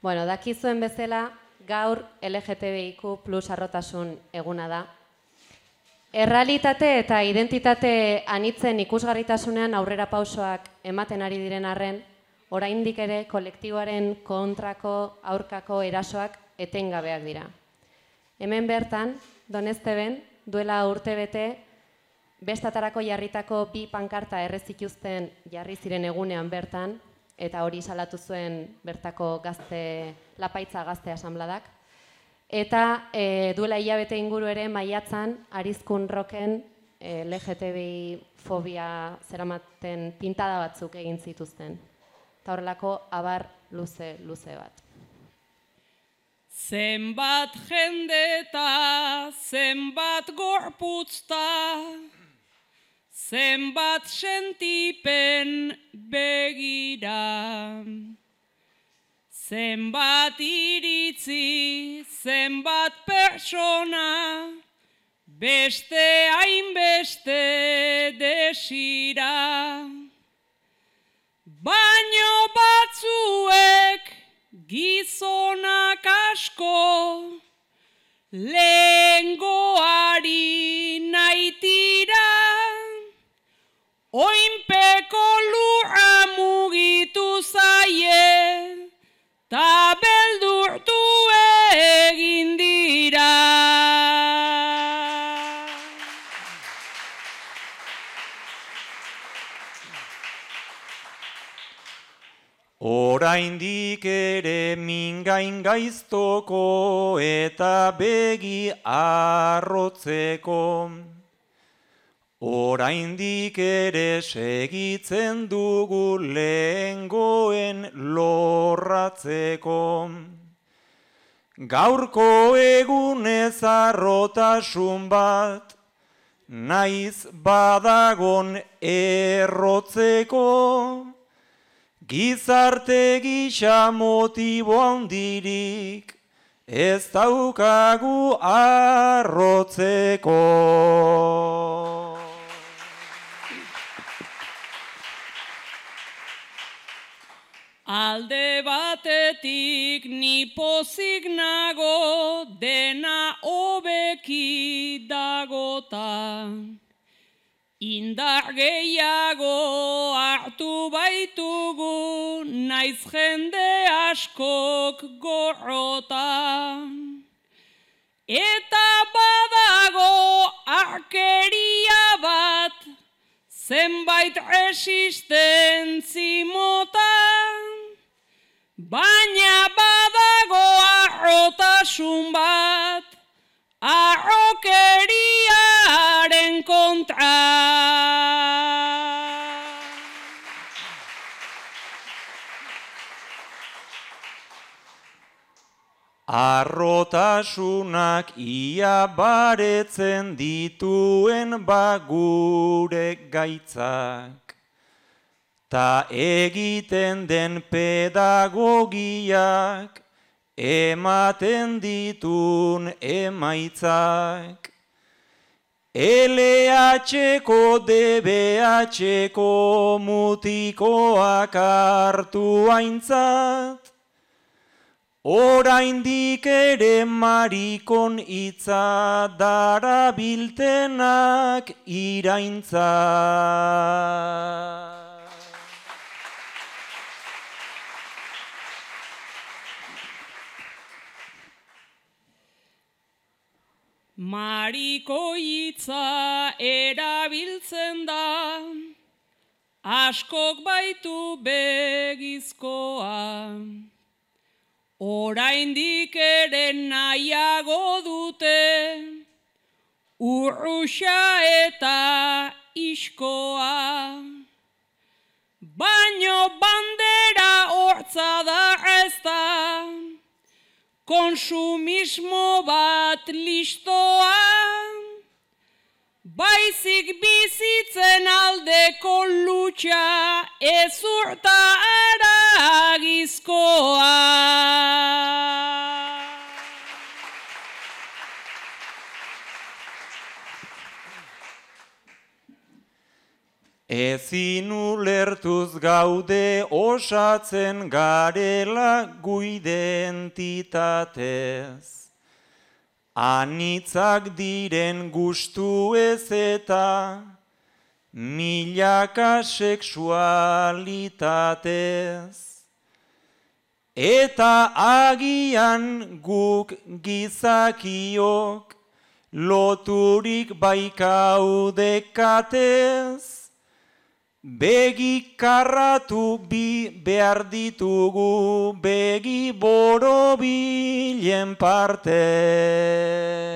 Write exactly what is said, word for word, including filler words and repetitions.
Bueno, dakizuen bezala, gaur L G T B I Q plus arrotasun eguna da. Errealitate eta identitate anitzen ikusgarritasunean aurrera pausoak ematen ari diren arren, oraindik ere kolektiboaren kontrako aurkako erasoak etengabeak dira. Hemen bertan, Donezteben, duela urtebete, bestatarako jarritako bi pankarta erre zituzten jarri ziren egunean bertan, eta hori salatu zuen bertako gazte, Lapaitza Gazte Asanbladak. Eta e, duela hilabete inguru ere maiatzan Arizkun Rocken e, L G T B I fobia zeramaten pintada batzuk egin zituzten. Eta horrelako abar luze, luze bat. Zenbat jendeta, zenbat gorputzta, zenbat sentipen begira. Zenbat iritzi, zenbat pertsona, beste hainbeste desira. Baino batzuek gizonak asko, lehengoari naitira, oinpeko lurra mugitu zaie, ta beldurtu egin dira. Oraindik ere mingain gaiztoko eta begi arrotzeko. Oraindik ere segitzen dugu lehengoen lorratzeko. Gaurko egunez arrotasun bat, naiz badagon errotzeko. Gizarte gisa motibo handirik, ez daukagu arrotzeko. Alde batetik ni pozik nago, dena hobeki dagota. Indar gehiago hartu baitugu, naiz jende askok gorrota. Eta badago arkeria bat, zenbait resistentzi mota, baina badago arrotasun bat, arrokeriaren kontra. Arrotasunak ia baretzen dituen bagure gaitzak, ta egiten den pedagogiak, ematen ditun emaitzak. L H-ko, D B H-ko mutikoak hartu aintzat, oraindik ere marikon hitza darabiltenak iraintzat. Mariko hitza erabiltzen da, askok baitu begizkoa. Oraindik ere nahiago dute, urruxa eta iskoa. Baino bandera hortza da ez da, konsumismo bat listoa, baizik bizitzen aldeko lutxa ezurta aragizkoa. Ezin ulertuz gaude osatzen garela gu identitatez. Anitzak diren gustu ez eta milaka sexualitatez. Eta agian guk gizakiok loturik baikaudekatez, begi karratu bi behar ditugu begi borobilen parte.